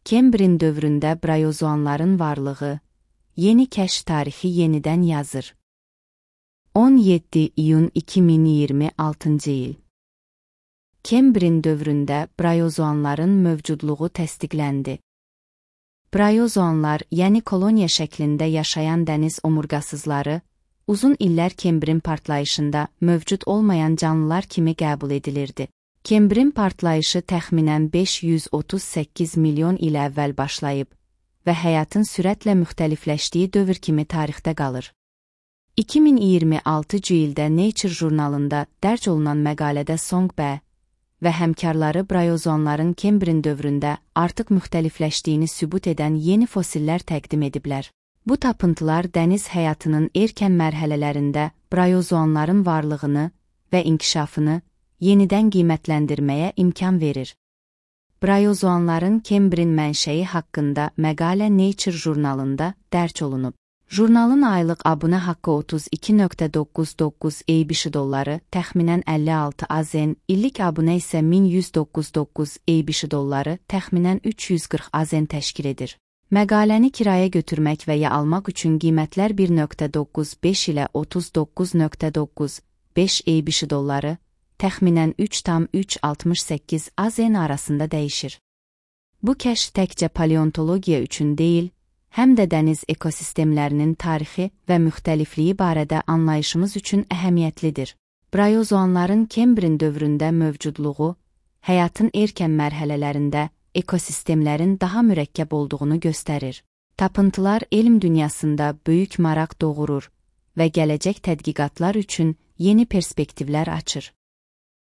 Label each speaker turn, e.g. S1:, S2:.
S1: Kembrin dövründə brayozoanların varlığı, yeni kəşf tarixi yenidən yazır. 17 iyun 2026 il. Kembrin dövründə brayozoanların mövcudluğu təsdiqləndi. Brayozoanlar, yəni koloniya şəklində yaşayan dəniz omurgasızları, uzun illər Kembrin partlayışında mövcud olmayan canlılar kimi qəbul edilirdi. Kembrin partlayışı təxminən 538 milyon il əvvəl başlayıb və həyatın sürətlə müxtəlifləşdiyi dövr kimi tarixdə qalır. 2026 ildə Nature jurnalında dərc olunan məqalədə Song B. və həmkarları brayozoanların Kembrin dövründə artıq müxtəlifləşdiyini sübut edən yeni fosillər təqdim ediblər. Bu tapıntılar dəniz həyatının erkən mərhələlərində brayozoanların varlığını və inkişafını yenidən qiymətləndirməyə imkan verir. Brayozoanların Kembrin mənşəyi haqqında məqalə Nature jurnalında dərc olunub. Jurnalın aylıq abunə haqqı $32.99 $, təxminən 56 AZN, illik abunə isə $1199 təxminən 340 AZN təşkil edir. Məqaləni kirayə götürmək və ya almaq üçün qiymətlər $1.95 ilə $39.95 təxminən 3,368 AZN arasında dəyişir. Bu kəşf təkcə paleontologiya üçün deyil, həm də dəniz ekosistemlərinin tarixi və müxtəlifliyi barədə anlayışımız üçün əhəmiyyətlidir. Brayozoanların Kembrin dövründə mövcudluğu, həyatın erkən mərhələlərində ekosistemlərin daha mürəkkəb olduğunu göstərir. Tapıntılar elm dünyasında böyük maraq doğurur və gələcək tədqiqatlar üçün yeni perspektivlər açır.